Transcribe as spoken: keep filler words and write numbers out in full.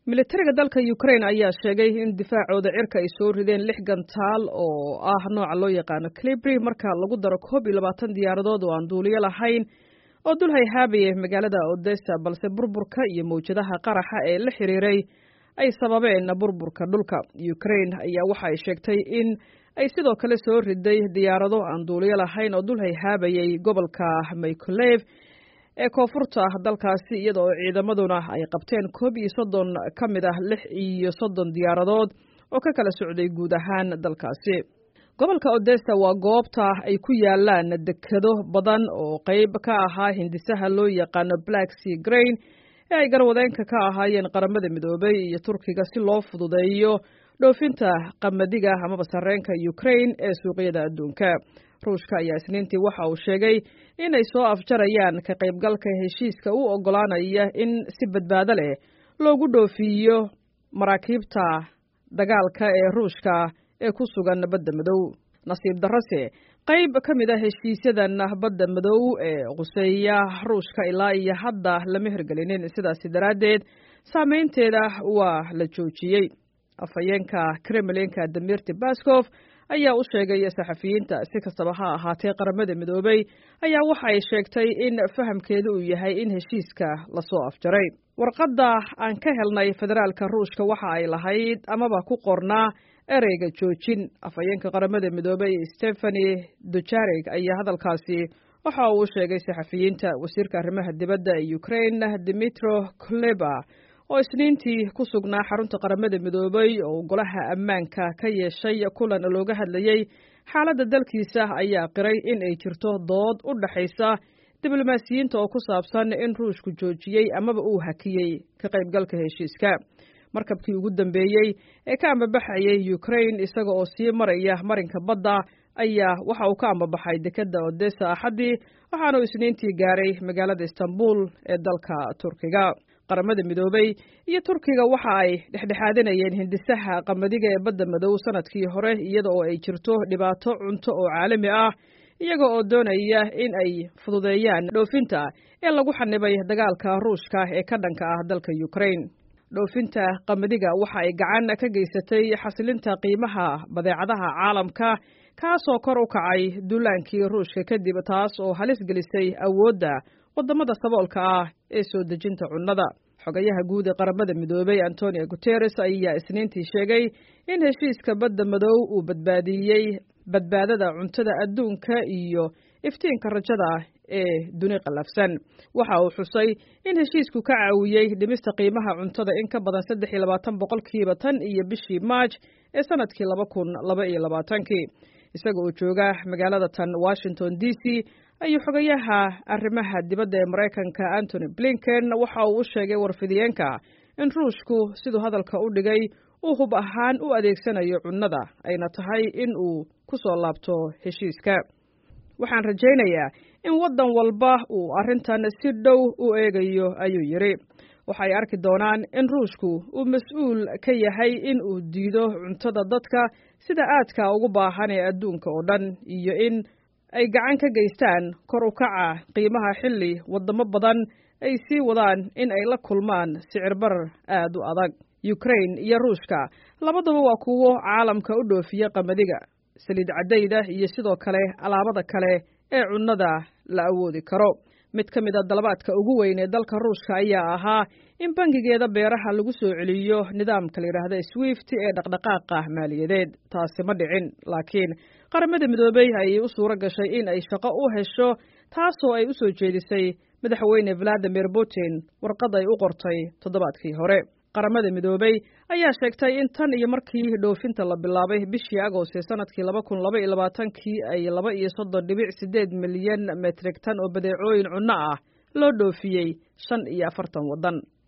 Militariga dalka Ukraine ayaa sheegay in difaacooda cirka ay soo rideen lix gantaal oo ah nooca loo yaqaano Kalibr, marka lagu daro koob iyo labaatan diyaaradood oo aan duuliyo lahayn oo dul hayhaabayay magaalada Odessa, balse burburka iyo mawjadaha qaraxa ee la xiriiray ay sababeen burburka dhulka. Ukraine ayaa waxa ay sheegtay in ay sidoo kale soo riday diyaarado aan duuliyo lahayn oo dul hayhaabayay gobolka Mykolaiv ee koonfurta dalkaasi, iyada oo ciidamaduna ay qabteen koob iyo soddon ka mid ah lix iyo soddon diyaaradood oo ka kala socday guud ahaan dalkaasi. Gobolka Odessa waa goobta ay ku yaalaan dekado badan oo qayb ka ahaa hindisaha loo yaqaano Black Sea Grain ee ay garwadeenka ka ahaayeen Qaramada Midoobay iyo Turkiga si loo fududeeyo dhoofinta qamadiga amaba sarreenka Ukraine ee suuqyada adduunka. Ruushka ayaa Isniintii waxa uu sheegay inay soo afjarayaan ka qaybgalka heshiiska u oggolaanaya in si badbaado leh loogu dhoofiyo maraakiibta dagaalka ee Ruushka ee ku sugan Badda Madow. Nasiib darrose, qayb ka mid a heshiisyadan Badda Madow ee quseeya Ruushka ilaa iyo hadda lama hirgelinin, sidaasi daraaddeed saameynteeda waa la joojiyey. Afhayeenka Kremlinka Dmitry Peskov ayaa u sheegay saxafiyiinta. Si kastaba ha ahaatee, Qaramada Midoobay ayaa waxa ay sheegtay in fahamkeedu uu yahay in heshiiska lasoo afjaray. Warqadda aan ka helnay federaalka Ruushka waxa ay lahayd amaba ku qornaa ereyga joojin. Afhayeenka Qaramada Midoobay Stephane Dujarric ayaa hadalkaasi waxa uu u sheegay saxafiyiinta. Wasiirka arrimaha dibadda ee Ukraine Dmytro Kuleba oo Isniintii ku sugnaa xarunta Qaramada Midoobay oo Golaha Ammaanka ka yeeshay kulan looga hadlayey xaaladda dalkiisa ayaa qiray in ay jirto dood u dhaxaysa diblomaasiyiinta oo ku saabsan in Ruushku joojiyey amaba uu hakiyey ka qaybgalka heshiiska. Markabkii ugu dambeeyey ee ka ambabaxayay Ukraine isaga oo sii maraya marinka badda ayaa waxa uu ka ambabaxay dekedda Odessa Axaddii, waxaanu Isniintii gaaray magaalada Istanbul ee dalka Turkiga. Qaramada Midoobay iyo Turkiga waxa ay dhexdhexaadinayeen hindisaha qamadiga ee Badda Madow sanadkii hore, iyada oo ay jirto dhibaato cunto oo caalami ah, iyaga oo doonaya in ay fududeeyaan dhoofinta ee lagu xanibay dagaalka Ruushka ee ka dhanka ah dalka Ukraine. Dhoofinta qamadiga waxa ay gacan ka geysatay xasilinta qiimaha badeecadaha caalamka, kaasoo kor u kacay duulaankii Ruushka kadib, taas oo halis gelisay awoodda wadamada saboolka ah ee soo dejinta cunnada. Xogayaha guud ee Qaramada Midoobay Antonio Guterres ayaa Isniintii sheegay in heshiiska Badda Madow uu badbaadiyey badbaadada cuntada adduunka iyo iftiinka rajada ee duni qallafsan. Waxa uu xusay in heshiisku ka caawiyey dhimista qiimaha cuntada in ka badan saddex iyo labaatan boqolkiiba tan iyo bishii Maaj ee sanadkii laba kun laba iyo labaatankii. Isaga oo jooga magaalada tan Washington D C ayuu xogayaha arrimaha dibadda ee Maraykanka Antony Blinken waxa uu u sheegay warfidiyeenka in Ruushku, siduu hadalka u dhigay, uu hub ahaan u adeegsanayo cunnada, ayna tahay in uu ku soo laabto heshiiska. Waxaan rajaynayaa in waddan walba uu arrintan si dhow u eegayo, ayuu yidhi. Waxay arki doonaan in Ruushku uu mas-uul ka yahay in uu diido cuntada dadka sida aadka ugu baahan ee adduunka oo dhan iyo in ay gacan ka geystaan kor u kaca qiimaha, xilli waddamo badan ay sii wadaan in ay la kulmaan sicir barar aad u adag. Ukraine iyo Ruushka labaduba waa kuwo caalamka u dhoofiya qamadiga, saliid caddayda iyo sidoo kale alaabada kale ee cunnada la awoodi karo. Mid ka mid a dalabaadka ugu weyn ee dalka Ruushka ayaa ahaa in bangigeeda beeraha lagu soo celiyo nidaamka la yidhaahda SWIFT ee dhaqdhaqaaqa maaliyadeed. Taasi ma dhicin, laakiin Qaramada Midoobey ayay u suuro gashay in ay shaqo u hesho, taasoo ay u soo jeedisay Madaxweyne Vladimir Putin warqad ay u qortay toddobaadkii hore. Qaramada Midoobey ayaa sheegtay in tan iyo markii dhoofinta la bilaabay bishii Agost ee sanadkii laba kun laba iyo labaatankii ay laba iyo soddon dhibic sideed milyan metrik tan oo badeecooyin cunno ah loo dhoofiyey shan iyo afartan waddan.